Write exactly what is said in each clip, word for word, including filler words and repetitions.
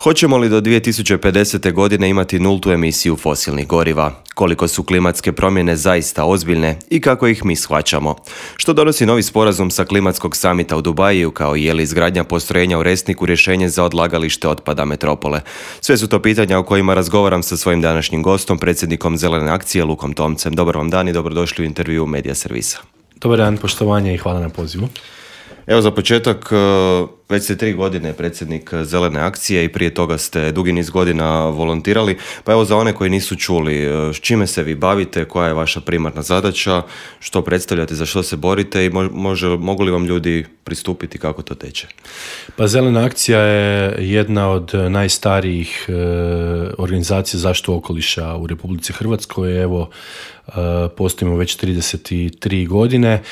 Hoćemo li do dvije tisuće pedesete. godine imati nultu emisiju fosilnih goriva? Koliko su klimatske promjene zaista ozbiljne i kako ih mi shvaćamo? Što donosi novi sporazum sa klimatskog samita u Dubaju, kao i je li izgradnja postrojenja u Resniku rješenje za odlagalište otpada metropole? Sve su to pitanja o kojima razgovaram sa svojim današnjim gostom, predsjednikom Zelene akcije Lukom Tomcem. Dobar vam dan i dobrodošli u intervju Medija servisa. Dobar dan, poštovanje i hvala na pozivu. Evo za početak, već ste tri godine predsjednik Zelene akcije i prije toga ste dugi niz godina volontirali. Pa evo za one koji nisu čuli, s čime se vi bavite, koja je vaša primarna zadaća, što predstavljate, za što se borite i može, mogu li vam ljudi pristupiti, kako to teče? Pa Zelena akcija je jedna od najstarijih e, organizacija zaštitu okoliša u Republici Hrvatskoj. Evo, e, postojimo već trideset tri godine.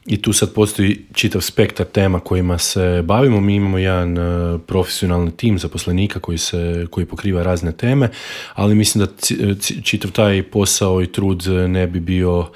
I tu sad postoji čitav spektar tema kojima se bavimo. Mi imamo jedan uh, profesionalni tim zaposlenika koji, se, koji pokriva razne teme, ali mislim da c- c- čitav taj posao i trud ne bi bio uh,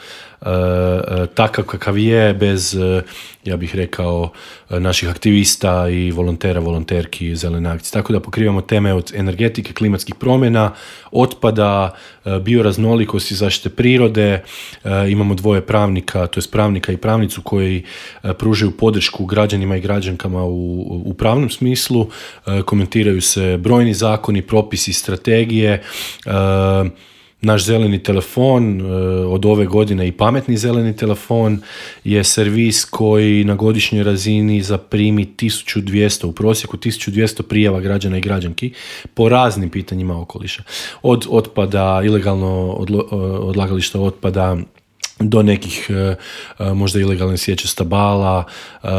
uh, takav kakav je bez, uh, ja bih rekao, uh, naših aktivista i volontera, volonterki Zelene akcije. Tako da pokrivamo teme od energetike, klimatskih promjena, otpada, uh, bioraznolikosti, zaštite prirode. Uh, imamo dvoje pravnika, to jest pravnika i pravnicu koji uh, pružaju podršku građanima i građankama u, u pravnom smislu. Uh, komentiraju se brojni zakoni, propisi, strategije. Uh, Naš zeleni telefon, od ove godine i pametni zeleni telefon, je servis koji na godišnjoj razini zaprimi tisuću dvjesto, u prosjeku tisuću dvjesto prijava građana i građanki po raznim pitanjima okoliša. Od otpada, ilegalno odlo, odlagališta otpada, do nekih uh, možda ilegalne sječe stabala, uh,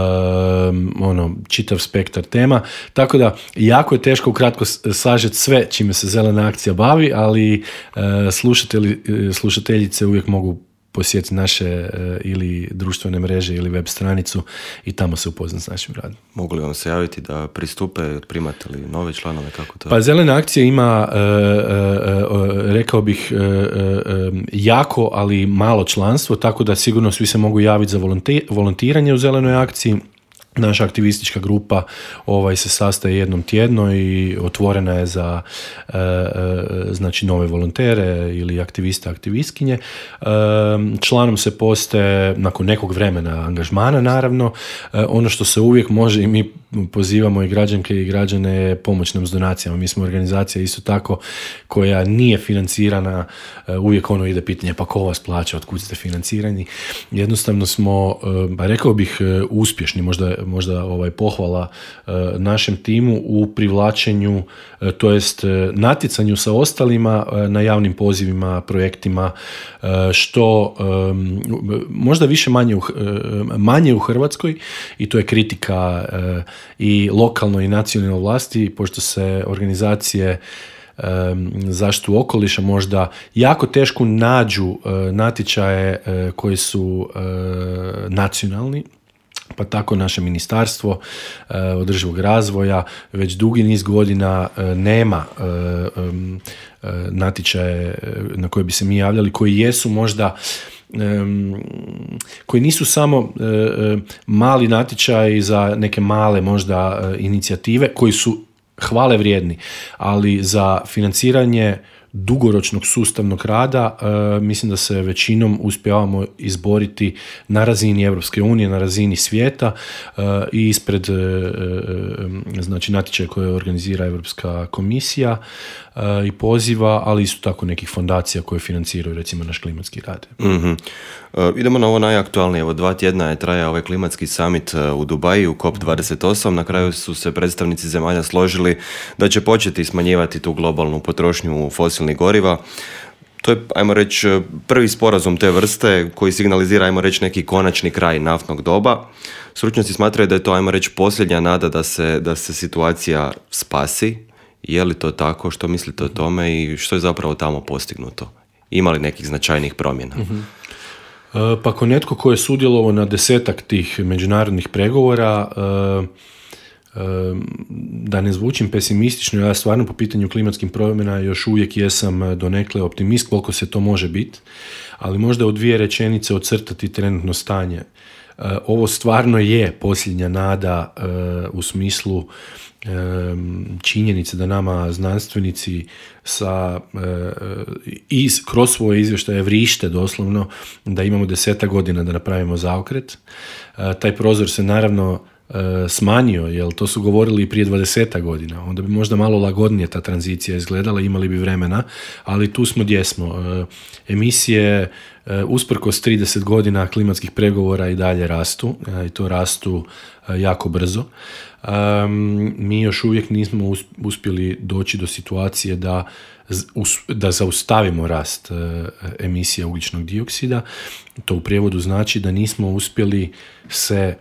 ono, čitav spektar tema. Tako da, jako je teško ukratko sažeti sve čime se Zelena akcija bavi, ali uh, slušatelji, slušateljice uvijek mogu posjetiti naše uh, ili društvene mreže ili web stranicu i tamo se upoznati s našim radom. Mogu li vam se javiti da pristupe, primate li nove članove, kako to? Pa Zelena akcija ima, uh, uh, uh, rekao bih, uh, uh, jako, ali malo članstvo, tako da sigurno svi se mogu javiti za volonti- volontiranje u Zelenoj akciji. Naša aktivistička grupa ovaj, se sastaje jednom tjedno i otvorena je za e, e, znači nove volontere ili aktiviste, aktivistkinje. E, članom se postaje nakon nekog vremena angažmana, naravno. E, ono što se uvijek može i mi pozivamo i građanke i građane pomoć nam s donacijama. Mi smo organizacija isto tako koja nije financirana. E, uvijek ono ide pitanje pa ko vas plaća, otkud ste financirani. Jednostavno smo, e, rekao bih, uspješni, možda možda ovaj pohvala e, našem timu u privlačenju, e, to jest e, natjecanju sa ostalima e, na javnim pozivima, projektima, e, što e, možda više manje u, e, manje u Hrvatskoj, i to je kritika e, i lokalnoj i nacionalnoj vlasti, pošto se organizacije e, zaštitu okoliša možda jako teško nađu e, natječaje e, koji su e, nacionalni. Pa tako naše ministarstvo e, održivog razvoja već dugi niz godina e, nema e, e, natječaje na koje bi se mi javljali, koji jesu možda e, koji nisu samo e, mali natječaji za neke male možda e, inicijative koji su hvale vrijedni, ali za financiranje dugoročnog sustavnog rada, e, mislim da se većinom uspijevamo izboriti na razini Europske unije, na razini svijeta e, i ispred e, e, znači natječaja koje organizira Europska komisija e, i poziva, ali isto tako nekih fondacija koje financiraju recimo naš klimatski rad. Mm-hmm. E, idemo na ovo najaktualnije. Evo dva tjedna je traja ovaj klimatski summit u Dubaju, C O P dvadeset osam. Na kraju su se predstavnici zemalja složili da će početi smanjivati tu globalnu potrošnju fosilnih goriva. To je, ajmo reći, prvi sporazum te vrste koji signalizira, ajmo reći, neki konačni kraj naftnog doba. Stručnjaci smatraju da je to, ajmo reći, posljednja nada da se, da se situacija spasi. Je li to tako? Što mislite o tome i što je zapravo tamo postignuto? Ima li nekih značajnih promjena? Mm-hmm. Pa ako netko ko je sudjelovao na desetak tih međunarodnih pregovora, da ne zvučim pesimistično, ja stvarno po pitanju klimatskih promjena još uvijek jesam donekle optimist koliko se to može biti, ali možda u dvije rečenice ocrtati trenutno stanje. ovo stvarno je posljednja nada u smislu činjenice da nama znanstvenici sa iz, kroz svoje izvještaje vrište doslovno da imamo desetak godina da napravimo zaokret. Taj prozor se naravno smanjio, jer to su govorili i prije dvadesetak godina. Onda bi možda malo lagodnije ta tranzicija izgledala, imali bi vremena, ali tu smo gdje smo. Emisije usprkos trideset godina klimatskih pregovora i dalje rastu, i to rastu jako brzo. Mi još uvijek nismo uspjeli doći do situacije da, da zaustavimo rast emisija ugljičnog dioksida. To u prijevodu znači da nismo uspjeli se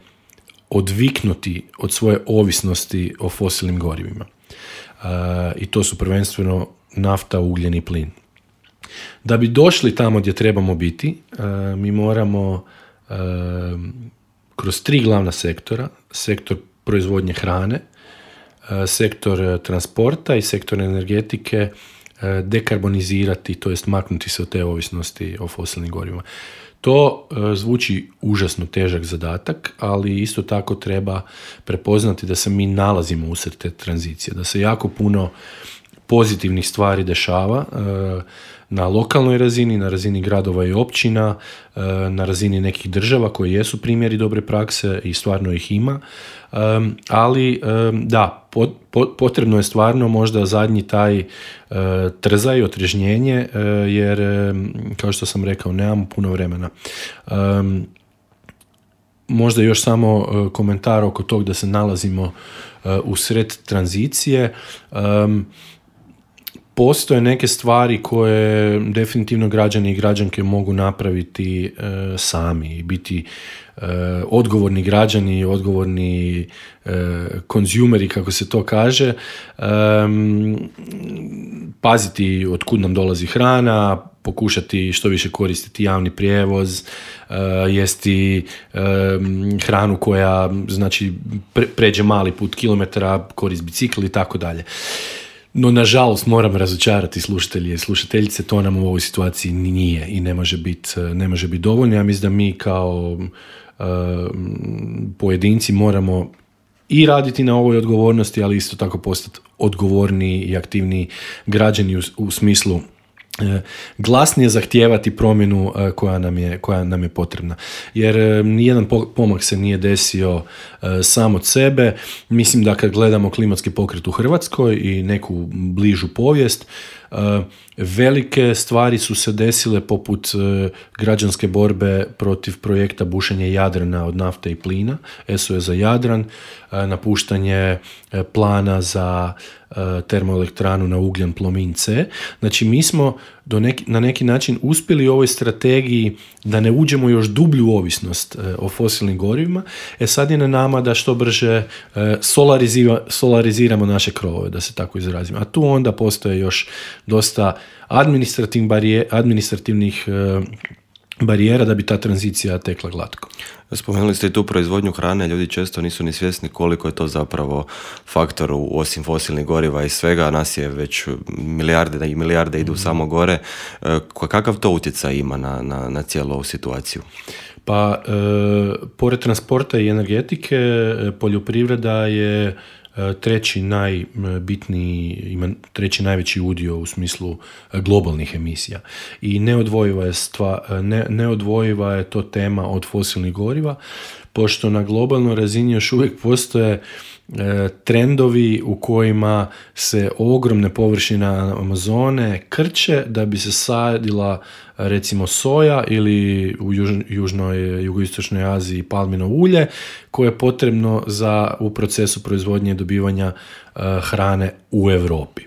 odviknuti od svoje ovisnosti o fosilnim gorivima. Uh, I to su prvenstveno nafta, ugljen i plin. Da bi došli tamo gdje trebamo biti, uh, mi moramo uh, kroz tri glavna sektora, sektor proizvodnje hrane, uh, sektor transporta i sektor energetike uh, dekarbonizirati, to jest maknuti se od te ovisnosti o fosilnim gorivima. To e, zvuči užasno težak zadatak, ali isto tako treba prepoznati da se mi nalazimo usred te tranzicije, da se jako puno pozitivnih stvari dešava e, na lokalnoj razini, na razini gradova i općina, e, na razini nekih država koji jesu primjeri dobre prakse i stvarno ih ima, e, ali e, da, pot, pot, potrebno je stvarno možda zadnji taj e, trzaj, otrežnjenje, e, jer e, kao što sam rekao, nemamo puno vremena. E, možda još samo e, komentar oko tog da se nalazimo e, u sred tranzicije. E, Postoje neke stvari koje definitivno građani i građanke mogu napraviti e, sami i biti e, odgovorni građani, odgovorni e, konzumeri, kako se to kaže, e, paziti od kud nam dolazi hrana, pokušati što više koristiti javni prijevoz, e, jesti e, hranu koja znači pre, pređe mali put kilometara, korist bicikl i tako dalje. No, nažalost, moram razočarati slušatelje i slušateljice, to nam u ovoj situaciji nije i ne može biti ne može biti dovoljno. Ja mislim da mi kao uh, pojedinci moramo i raditi na ovoj odgovornosti, ali isto tako postati odgovorni i aktivni građani u, u smislu glasnije zahtijevati promjenu koja nam je, koja nam je potrebna. Jer nijedan pomak se nije desio sam od sebe. Mislim da kad gledamo klimatski pokret u Hrvatskoj i neku bližu povijest, velike stvari su se desile poput građanske borbe protiv projekta bušenja Jadrana od nafte i plina, S O S za Jadran, napuštanje plana za termoelektranu na ugljen Plomin C. Znači mi smo do neki, na neki način uspjeli u ovoj strategiji da ne uđemo još dublju ovisnost e, o fosilnim gorivima. E sad je na nama da što brže e, solarizira, solariziramo naše krovove, da se tako izrazimo. A tu onda postoje još dosta administrativnih, barije, administrativnih e, barijera da bi ta tranzicija tekla glatko. Spomenuli ste i tu proizvodnju hrane, ljudi često nisu ni svjesni koliko je to zapravo faktor osim fosilnih goriva i svega, nas je već milijarde i milijarde idu mm. samo gore. Kakav to utjecaj ima na, na, na cijelu ovu situaciju? Pa, e, pored transporta i energetike, poljoprivreda je treći najbitniji, ima treći najveći udio u smislu globalnih emisija. I neodvojiva je, stva, ne, neodvojiva je to tema od fosilnih goriva, pošto na globalnoj razini još uvijek postoje e, trendovi u kojima se ogromne površine Amazone krče da bi se sadila recimo soja ili u juž, južnoj, jugoistočnoj Aziji palmino ulje koje je potrebno za, u procesu proizvodnje i dobivanja uh, hrane u Europi.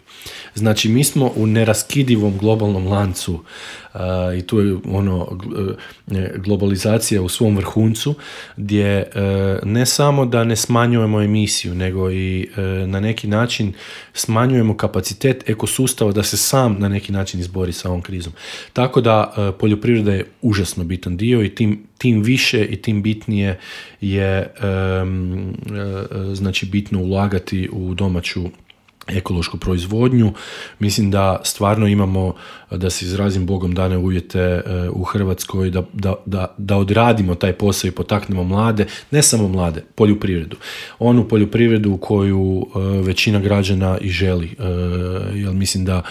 Znači mi smo u neraskidivom globalnom lancu uh, i tu je ono globalizacija u svom vrhuncu gdje uh, ne samo da ne smanjujemo emisiju nego i uh, na neki način smanjujemo kapacitet ekosustava da se sam na neki način izbori sa ovom krizom. Tako da uh, poljoprivreda je užasno bitan dio i tim, tim više i tim bitnije je um, uh, znači bitno ulagati u domaću ekološku proizvodnju. Mislim da stvarno imamo, da se izrazim Bogom dane uvjete u Hrvatskoj, da, da, da, da odradimo taj posao i potaknemo mlade, ne samo mlade, poljoprivredu. Onu poljoprivredu koju većina građana i želi. Jer mislim da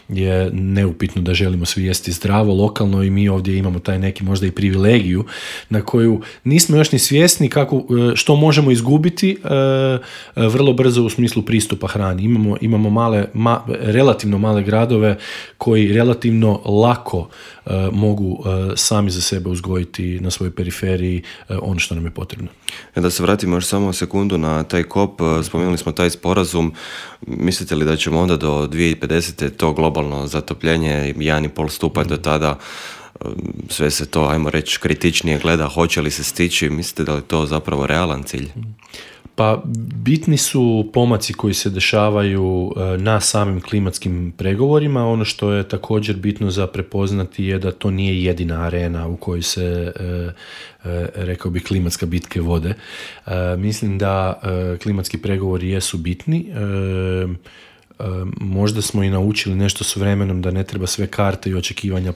je neupitno da želimo svi jesti zdravo, lokalno, i mi ovdje imamo taj neki možda i privilegiju na koju nismo još ni svjesni kako, što možemo izgubiti vrlo brzo u smislu pristupa hrani. Imamo imamo male, ma, relativno male gradove koji relativno lako uh, mogu uh, sami za sebe uzgojiti na svojoj periferiji uh, ono što nam je potrebno. Da se vratimo još samo sekundu na taj kop, spomenuli smo taj sporazum. Mislite li da ćemo onda do dvije tisuće pedesete to globalno zatopljenje jedan i pol stupanj do tada, sve se to, ajmo reći, kritičnije gleda, hoće li se stići? Mislite da li to zapravo realan cilj? Pa bitni su pomaci koji se dešavaju na samim klimatskim pregovorima. Ono što je također bitno za prepoznati je da to nije jedina arena u kojoj se, rekao bih, klimatska bitke vode. Mislim da klimatski pregovori jesu bitni. Možda smo i naučili nešto s vremenom da ne treba sve karte i očekivanja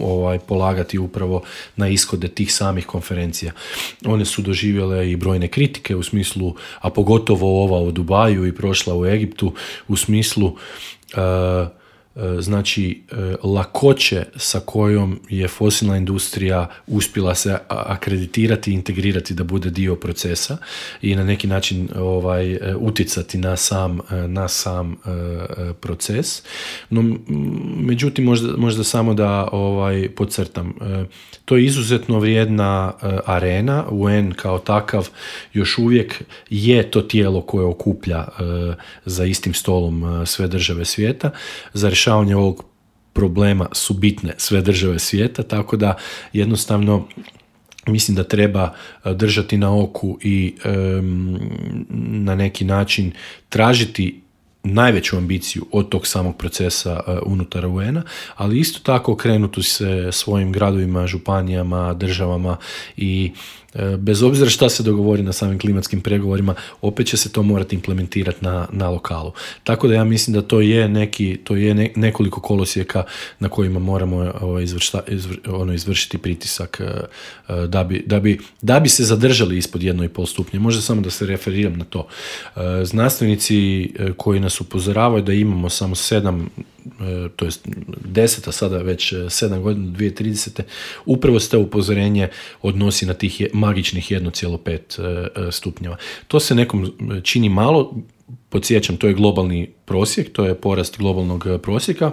ovaj, polagati upravo na ishode tih samih konferencija. One su doživjele i brojne kritike u smislu, a pogotovo ova u Dubaju i prošla u Egiptu, u smislu uh, znači lakoće sa kojom je fosilna industrija uspjela se akreditirati i integrirati da bude dio procesa i na neki način ovaj, utjecati na sam, na sam uh, proces. No, međutim, možda, možda samo da ovaj, podcrtam. Uh, to je izuzetno vrijedna uh, arena. U en kao takav još uvijek je to tijelo koje okuplja uh, za istim stolom uh, sve države svijeta. Za rješavanje ovog problema su bitne sve države svijeta, tako da jednostavno mislim da treba držati na oku i um, na neki način tražiti najveću ambiciju od tog samog procesa uh, unutar u en-a, ali isto tako okrenuti se svojim gradovima, županijama, državama i bez obzira šta se dogovori na samim klimatskim pregovorima, opet će se to morati implementirati na, na lokalu. Tako da ja mislim da to je neki, to je ne, nekoliko kolosijeka na kojima moramo ovaj, izvršta, izvr, ono, izvršiti pritisak uh, da, bi, da, bi, da bi se zadržali ispod jedno i pol stupnje. Možda samo da se referiram na to. Uh, znanstvenici koji nas upozoravaju da imamo samo sedam, to jest deset, a sada već sedam godina, dvije tisuće tridesete, upravo se to upozorenje odnosi na tih magičnih jedan zarez pet stupnjeva. To se nekom čini malo, podsjećam, to je globalni prosjek, to je porast globalnog prosjeka,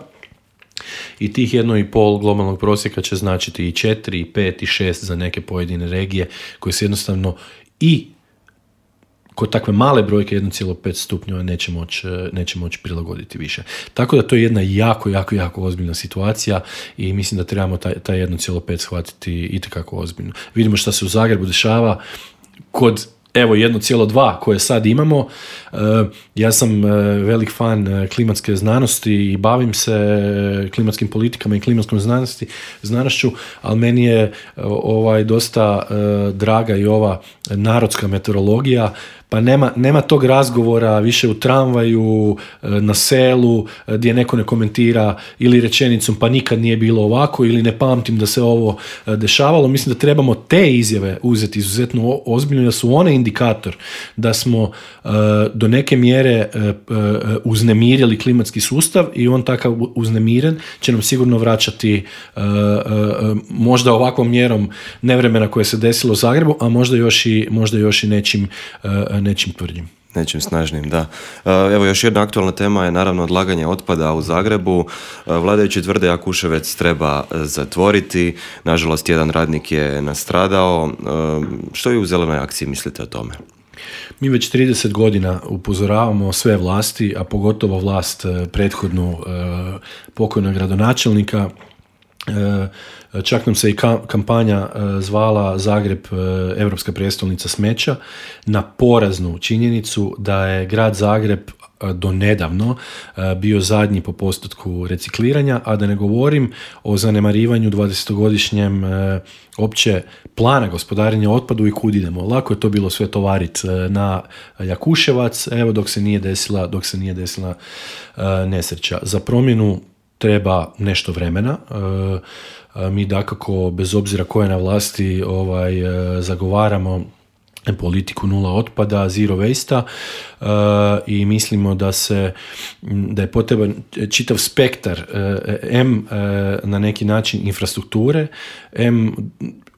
i tih jedno i pol globalnog prosjeka će značiti i četiri, i pet, i šest za neke pojedine regije koje se jednostavno i kod takve male brojke jedan zarez pet stupnjeva neće moći neće moći prilagoditi više. Tako da to je jedna jako, jako, jako ozbiljna situacija i mislim da trebamo taj, taj jedan zarez pet shvatiti itekako ozbiljno. Vidimo šta se u Zagrebu dešava kod evo jedan zarez dva koje sad imamo. Ja sam velik fan klimatske znanosti i bavim se klimatskim politikama i klimatskom znanosti, znanošću, ali meni je ovaj dosta draga i ova narodska meteorologija, pa nema, nema tog razgovora više u tramvaju, na selu, gdje neko ne komentira ili rečenicom pa nikad nije bilo ovako ili ne pamtim da se ovo dešavalo. Mislim da trebamo te izjave uzeti izuzetno ozbiljno, da su one indikator da smo do neke mjere uznemirili klimatski sustav i on takav uznemiren će nam sigurno vraćati možda ovakvom mjerom nevremena koje se desilo u Zagrebu, a možda još i, možda još i nečim nečim tvrdim. Nečim snažnim, da. Evo, još jedna aktualna tema je naravno odlaganje otpada u Zagrebu. Vladajući tvrde Jakuševec treba zatvoriti. Nažalost, jedan radnik je nastradao. Što vi u Zelenoj akciji mislite o tome? Mi već trideset godina upozoravamo sve vlasti, a pogotovo vlast prethodnu pokojnog gradonačelnika. Čak nam se i kampanja zvala Zagreb Europska prijestolnica smeća, na poraznu činjenicu da je grad Zagreb do nedavno bio zadnji po postotku recikliranja, a da ne govorim o zanemarivanju dvadesetogodišnjem opće plana gospodarenja otpadu i kud idemo. Lako je to bilo sve tovarit na Jakuševac, evo dok se nije desila, dok se nije desila nesreća. Za promjenu treba nešto vremena. Mi dakako, bez obzira ko je na vlasti, ovaj, zagovaramo politiku nula otpada, zero waste-a uh, i mislimo da se da je potreban čitav spektar uh, M uh, na neki način infrastrukture, M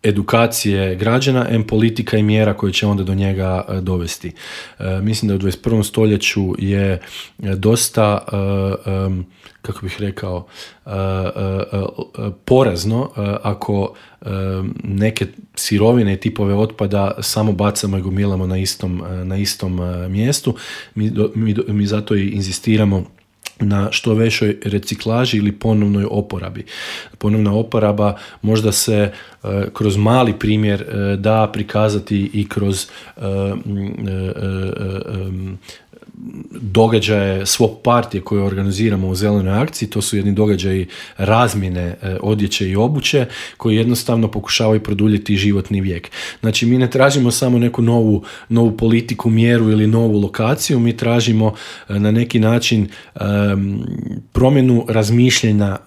edukacije građana, M politika i mjera koje će onda do njega uh, dovesti. Uh, mislim da u dvadeset prvom stoljeću je dosta uh, um, kako bih rekao, uh, uh, uh, porazno uh, ako uh, neke sirovine i tipove otpada samo bacamo i gomilamo na istom, uh, na istom uh, mjestu. Mi, do, mi, do, mi zato i inzistiramo na što većoj reciklaži ili ponovnoj oporabi. Ponovna oporaba možda se uh, kroz mali primjer uh, da prikazati i kroz uh, uh, uh, um, događaje svog partije koje organiziramo u zelenoj akciji. To su jedni događaji razmjene e, odjeće i obuće koji jednostavno pokušavaju produljiti životni vijek. Znači, mi ne tražimo samo neku novu, novu politiku, mjeru ili novu lokaciju, mi tražimo e, na neki način e, promjenu razmišljanja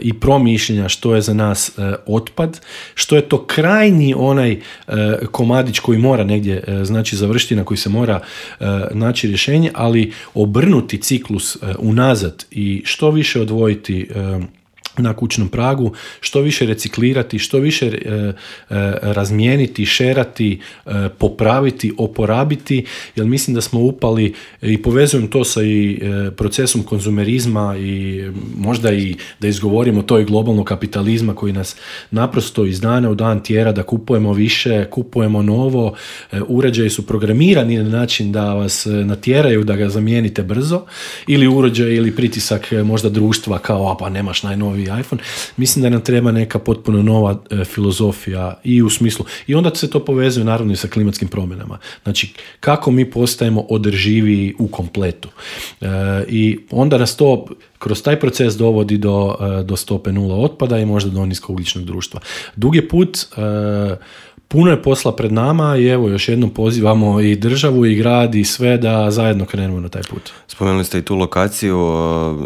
i promišljenja što je za nas e, otpad, što je to krajnji onaj e, komadić koji mora negdje e, znači završiti, na koji se mora e, naći rješenje, ali obrnuti ciklus e, unazad i što više odvojiti e, na kućnom pragu, što više reciklirati, što više e, e, razmijeniti, šerati, e, popraviti, oporabiti, jer mislim da smo upali i povezujem to sa i e, procesom konzumerizma i možda i da izgovorimo to i globalnog kapitalizma koji nas naprosto iz dana u dan tjera da kupujemo više, kupujemo novo, e, uređaji su programirani na način da vas natjeraju da ga zamijenite brzo, ili uređaj ili pritisak možda društva kao, a pa nemaš najnoviji iPhone. Mislim da nam treba neka potpuno nova e, filozofija i u smislu, i onda se to povezuje naravno i sa klimatskim promjenama. Znači, kako mi postajemo održiviji u kompletu. E, I onda nas to kroz taj proces dovodi do, e, do stope nula otpada i možda do niskougljičnog društva. Dug je put, e, puno je posla pred nama i evo još jednom pozivamo i državu i grad i sve da zajedno krenemo na taj put. Spomenuli ste i tu lokaciju,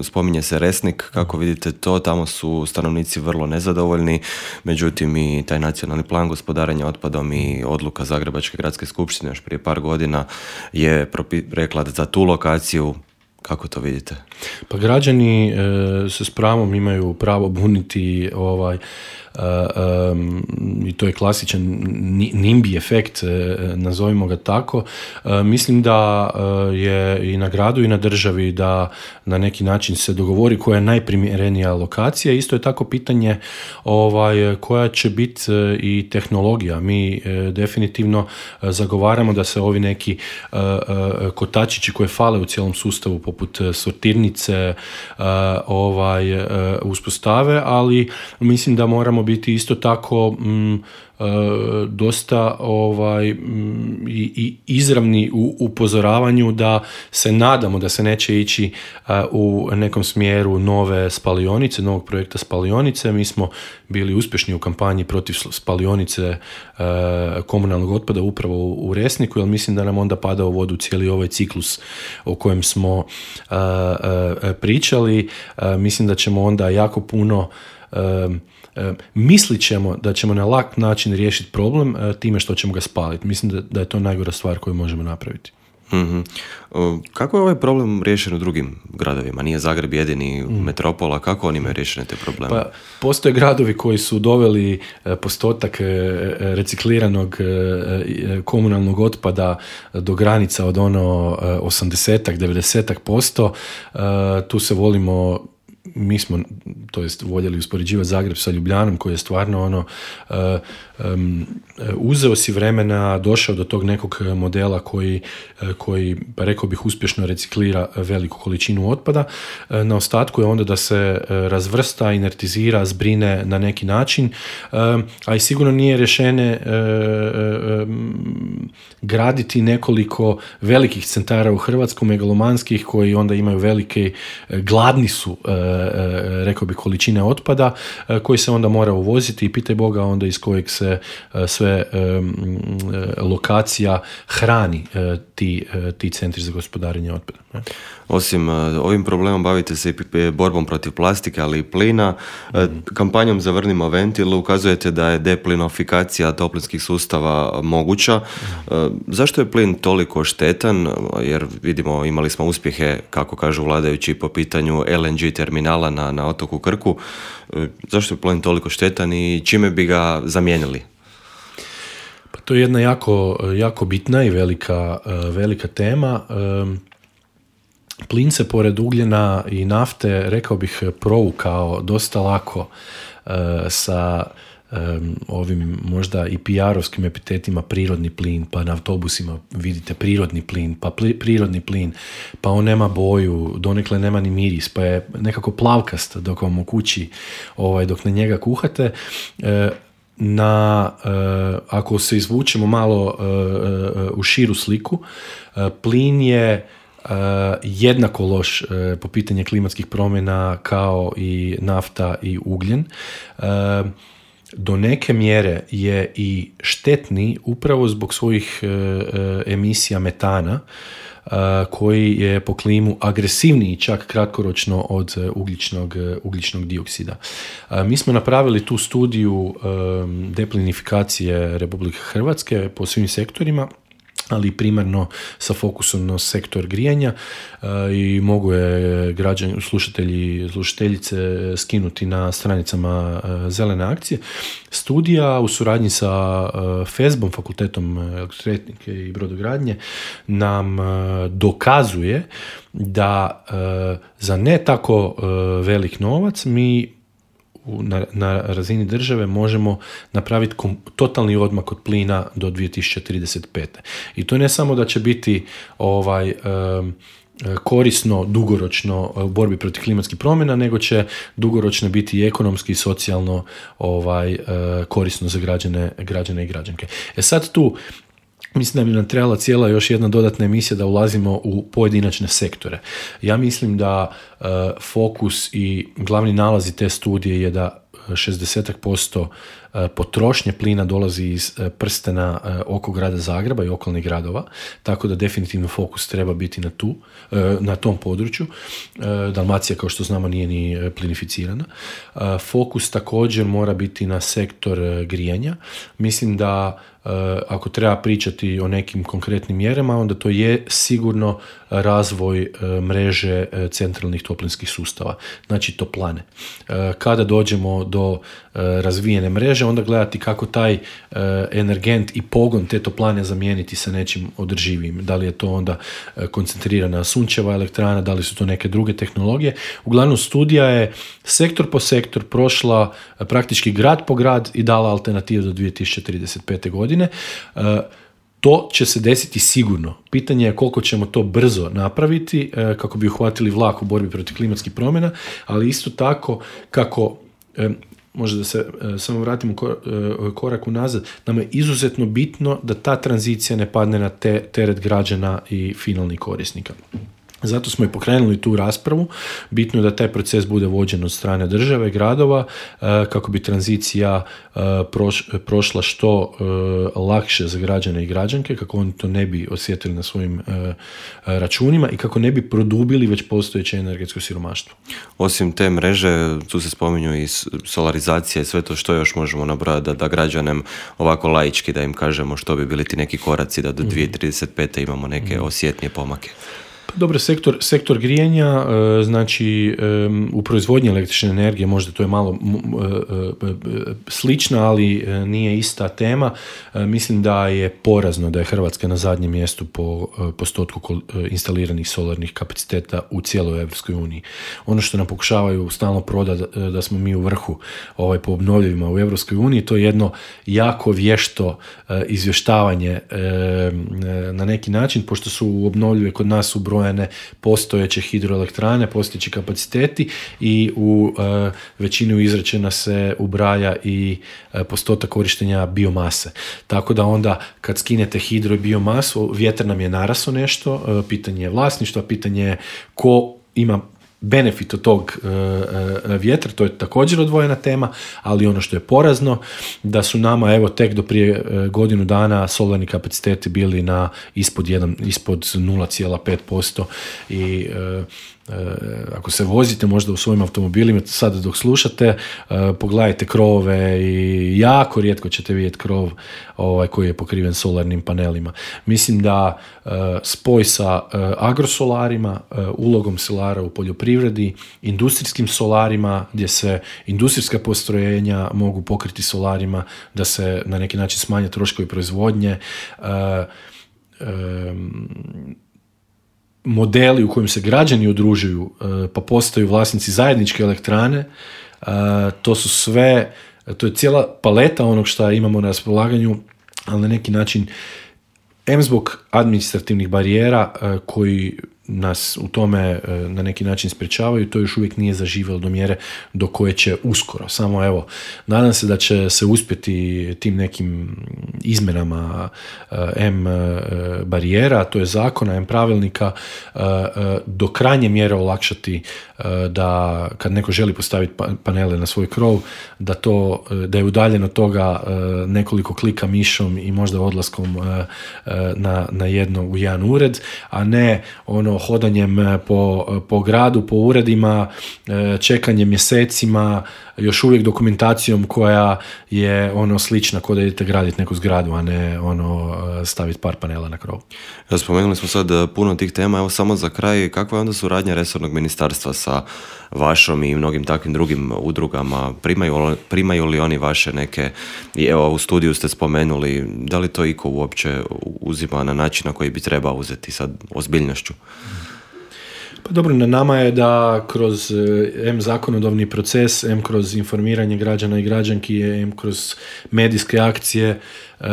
spominje se Resnik, kako vidite to, tamo su stanovnici vrlo nezadovoljni, međutim i taj nacionalni plan gospodarenja otpadom i odluka Zagrebačke gradske skupštine još prije par godina je propi- rekla da za tu lokaciju. Kako to vidite? Pa građani e, se s pravom imaju pravo buniti ovaj, e, um, i to je klasičan nimbi efekt, e, nazovimo ga tako. E, mislim da e, je i na gradu i na državi da na neki način se dogovori koja je najprimjerenija lokacija. Isto je tako pitanje ovaj, koja će biti e, i tehnologija. Mi e, definitivno e, zagovaramo da se ovi neki e, e, kotačići koje fale u cijelom sustavu poput sortirnice uh, ovaj, uh, uspostave, ali mislim da moramo biti isto tako mm, uh, dosta ovaj, mm, i, i izravni u upozoravanju da se nadamo da se neće ići uh, u nekom smjeru nove spalionice, novog projekta spalionice. Mi smo bili uspješni u kampanji protiv spalionice uh, komunalnog otpada upravo u, u Resniku, jer mislim da nam onda pada u vodu cijeli ovaj ciklus o kojem smo uh, uh, pričali. Uh, mislim da ćemo onda jako puno uh, uh, mislit ćemo da ćemo na lak način riješiti problem uh, time što ćemo ga spaliti. Mislim da, da je to najgora stvar koju možemo napraviti. Mm-hmm. Kako je ovaj problem riješen u drugim gradovima? Nije Zagreb jedini mm. metropola, kako oni imaju riješene te probleme? Pa, postoje gradovi koji su doveli postotak recikliranog komunalnog otpada do granica od ono osamdeset do devedeset posto. Tu se volimo mi smo, to jest voljeli uspoređivati Zagreb sa Ljubljanom, koji je stvarno ono, uh, um, uzeo si vremena, došao do tog nekog modela koji, uh, koji pa rekao bih, uspješno reciklira veliku količinu otpada. Uh, na ostatku je onda da se uh, razvrsta, inertizira, zbrine na neki način, uh, a i sigurno nije rješenje uh, uh, um, graditi nekoliko velikih centara u Hrvatsku, megalomanskih, koji onda imaju velike, gladni su, rekao bi, količine otpada, koji se onda mora uvoziti i pitaj Boga onda iz kojeg se sve lokacija hrani ti, ti centri za gospodarenje otpada. Osim ovim problemom bavite se i borbom protiv plastike, ali i plina. Mm. Kampanjom Zavrnimo ventil ukazujete da je deplinofikacija toplinskih sustava moguća. Mm. Zašto je plin toliko štetan? Jer vidimo, imali smo uspjehe, kako kažu vladajući, po pitanju L N G terminala na, na otoku Krku. Zašto je plin toliko štetan i čime bi ga zamijenili? Pa to je jedna jako, jako bitna i velika, velika tema. Plin se pored ugljena i nafte, rekao bih, provukao dosta lako uh, sa um, ovim možda i P R-ovskim epitetima prirodni plin, pa na autobusima vidite prirodni plin, pa pli, prirodni plin, pa on nema boju, donekle nema ni miris, pa je nekako plavkast dok vam u kući, ovaj, dok na njega kuhate. Uh, na, uh, ako se izvučemo malo uh, uh, u širu sliku, uh, plin je Uh, jednako loš uh, po pitanju klimatskih promjena kao i nafta i ugljen. Uh, do neke mjere je i štetni upravo zbog svojih uh, uh, emisija metana, uh, koji je po klimu agresivniji čak kratkoročno od uh, ugljičnog, uh, ugljičnog dioksida. Uh, mi smo napravili tu studiju um, deplinifikacije Republike Hrvatske po svim sektorima, ali primarno sa fokusom na sektor grijanja, uh, i mogu je građani, slušatelji, slušateljice skinuti na stranicama uh, Zelene akcije. Studija u suradnji sa uh, F E S B-om, Fakultetom elektrotehnike i brodogradnje, nam uh, dokazuje da uh, za ne tako uh, velik novac mi Na, na razini države možemo napraviti kom, totalni odmak od plina do dvije tisuće trideset pete. I to ne samo da će biti ovaj, um, korisno dugoročno u borbi protiv klimatskih promjena, nego će dugoročno biti i ekonomski i socijalno ovaj, uh, korisno za građane, građane i građanke. E sad tu mislim da bi nam trebala cijela još jedna dodatna emisija da ulazimo u pojedinačne sektore. Ja mislim da uh, fokus i glavni nalazi te studije je da šezdeset posto potrošnje plina dolazi iz prstena oko grada Zagreba i okolnih gradova, tako da definitivno fokus treba biti na, tu, na tom području. Dalmacija, kao što znamo, nije ni plinificirana. Fokus također mora biti na sektor grijanja. Mislim da ako treba pričati o nekim konkretnim mjerama, onda to je sigurno razvoj mreže centralnih toplinskih sustava, znači toplane. Kada dođemo do razvijene mreže, onda gledati kako taj energent i pogon te toplane zamijeniti sa nečim održivijim. Da li je to onda koncentrirana sunčeva elektrana, da li su to neke druge tehnologije. Uglavnom, studija je sektor po sektor prošla praktički grad po grad i dala alternativu do dvije tisuće trideset pete godine. To će se desiti sigurno. Pitanje je koliko ćemo to brzo napraviti kako bi uhvatili vlak u borbi protiv klimatskih promjena, ali isto tako kako, možda da se samo vratimo korak unazad, nam je izuzetno bitno da ta tranzicija ne padne na te, teret građana i finalnih korisnika. Zato smo i pokrenuli tu raspravu. Bitno je da taj proces bude vođen od strane države, gradova, kako bi tranzicija prošla što lakše za građane i građanke, kako oni to ne bi osjetili na svojim računima i kako ne bi produbili već postojeće energetsko siromaštvo. Osim te mreže, tu se spominju i solarizacija i sve to, što još možemo nabrojati da, da građanem ovako laički da im kažemo što bi bili ti neki koraci da do dvije tisuće trideset pete imamo neke osjetnije pomake. Dobro, sektor, sektor grijanja, znači u proizvodnji električne energije, možda to je malo slična, ali nije ista tema. Mislim da je porazno da je Hrvatska na zadnjem mjestu po postotku instaliranih solarnih kapaciteta u cijeloj Europskoj uniji. Ono što nam pokušavaju stalno prodati da smo mi u vrhu ovaj, po obnovljivima u Europskoj uniji, to je jedno jako vješto izvještavanje na neki način, pošto su obnovljive kod nas ubrojene postojeće hidroelektrane, postojeći kapaciteti i u e, većinu izrečena se ubraja i e, postotak korištenja biomase. Tako da onda kad skinete hidro i biomasu, vjetar nam je narasao nešto, e, pitanje je vlasništva, pitanje je ko ima benefit od tog e, e, vjetra, to je također odvojena tema, ali ono što je porazno, da su nama evo tek do prije e, godinu dana solarni kapaciteti bili na ispod, jedan, ispod nula zarez pet posto i e, E, ako se vozite možda u svojim automobilima sada dok slušate, e, pogledajte krovove i jako rijetko ćete vidjeti krov ovaj, koji je pokriven solarnim panelima. Mislim da e, spoj sa e, agrosolarima, e, ulogom solara u poljoprivredi, industrijskim solarima gdje se industrijska postrojenja mogu pokriti solarima, da se na neki način smanje troškovi proizvodnje, e, e, modeli u kojim se građani udružuju pa postaju vlasnici zajedničke elektrane, to su sve, to je cijela paleta onog što imamo na raspolaganju, ali na neki način em zbog administrativnih barijera koji nas u tome na neki način sprječavaju, to još uvijek nije zaživjelo do mjere do koje će uskoro. Samo evo, nadam se da će se uspjeti tim nekim izmjenama em barijera, to je zakona, em pravilnika, do krajnje mjere olakšati da kad neko želi postaviti panele na svoj krov, da to, da je udaljen od toga nekoliko klika mišom i možda odlaskom na, na jedno u jedan ured, a ne ono hodanjem po, po gradu, po uredima, čekanjem mjesecima, još uvijek dokumentacijom koja je ono slična kao da idete graditi neku zgradu, a ne ono staviti par panela na krov. Ja, spomenuli smo sad puno tih tema, evo samo za kraj, kakva je onda suradnja resornog ministarstva sa vašom i mnogim takvim drugim udrugama? Primaju, primaju li oni vaše neke, i evo u studiju ste spomenuli, da li to iko uopće uzima na način na koji bi trebao uzeti sad ozbiljnošću? Pa dobro, na nama je da kroz em zakonodavni proces, em kroz informiranje građana i građanki, em kroz medijske akcije e,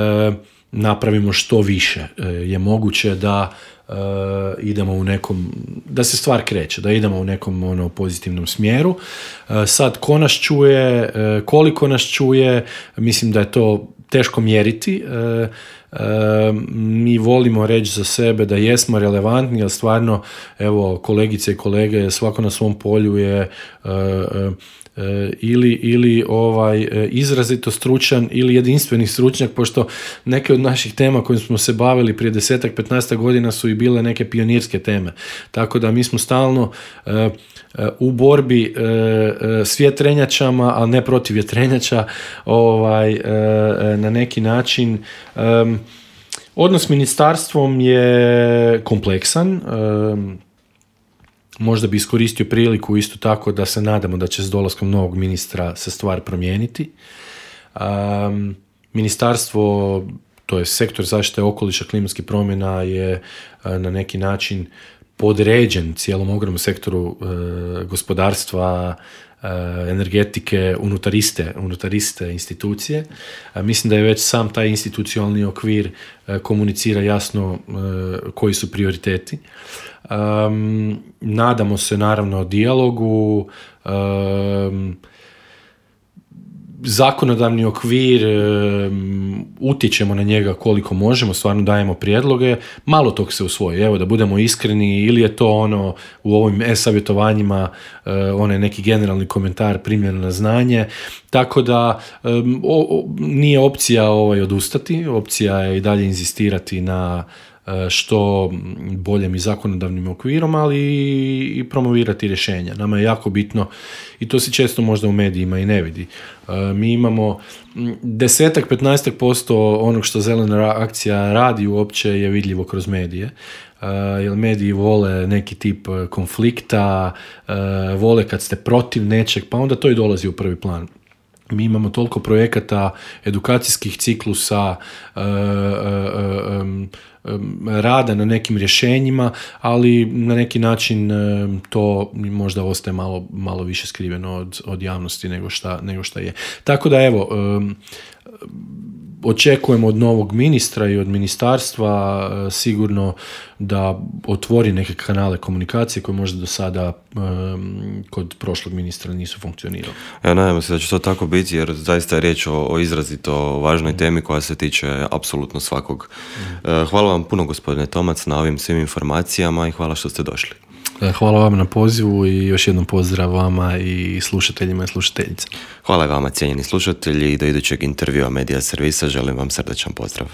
napravimo što više. E, je moguće da e, idemo u nekom, da se stvar kreće, da idemo u nekom ono, pozitivnom smjeru. E, sad, ko nas čuje, e, koliko nas čuje, mislim da je to teško mjeriti. E, E, mi volimo reći za sebe da jesmo relevantni, ali stvarno, evo, kolegice i kolege, svako na svom polju je e, e, ili, ili ovaj, izrazito stručan ili jedinstveni stručnjak, pošto neke od naših tema kojim smo se bavili prije desetak, petnaestak godina su i bile neke pionirske teme. Tako da mi smo stalno e, u borbi e, s vjetrenjačama, ali ne protiv vjetrenjača, ovaj, e, na neki način. E, odnos s ministarstvom je kompleksan. E, možda bi iskoristio priliku isto tako da se nadamo da će s dolaskom novog ministra se stvar promijeniti. E, ministarstvo, to je sektor zaštite okoliša, klimatskih promjena, je e, na neki način podređen cijelom ogromnom sektoru e, gospodarstva, e, energetike, unutariste, unutariste institucije. E, mislim da je već sam taj institucionalni okvir e, komunicira jasno e, koji su prioriteti. E, nadamo se naravno dijalogu, e, zakonodavni okvir, um, utječemo na njega koliko možemo, stvarno dajemo prijedloge, malo tog se usvoji. Evo, da budemo iskreni, ili je to ono u ovim e-savjetovanjima uh, onaj neki generalni komentar primljen na znanje, tako da um, o, o, nije opcija ovaj odustati, opcija je i dalje inzistirati na što boljem i zakonodavnim okvirom, ali i promovirati rješenja. Nama je jako bitno, i to se često možda u medijima i ne vidi. Mi imamo desetak, petnaestak posto onog što zelena akcija radi uopće je vidljivo kroz medije. jer mediji vole neki tip konflikta, uh, vole kad ste protiv nečeg, pa onda to i dolazi u prvi plan. Mi imamo toliko projekata, edukacijskih ciklusa, uh, uh, um, um, rada na nekim rješenjima, ali na neki način um, to možda ostaje malo, malo više skriveno od, od javnosti nego šta, nego šta je. Tako da evo, um, očekujemo od novog ministra i od ministarstva uh, sigurno da otvori neke kanale komunikacije koje možda do sada um, kod prošlog ministra nisu funkcionirali. Ja nadam se da će to tako biti, jer zaista je riječ o, o izrazito važnoj temi koja se tiče apsolutno svakog. Uh, hvala vam puno, gospodine Tomac, na ovim svim informacijama i hvala što ste došli. Hvala vam na pozivu i još jednom pozdrav vama i slušateljima i slušateljice. Hvala vama, cijenjeni slušatelji, i do idućeg intervjua Medija servisa želim vam srdačan pozdrav.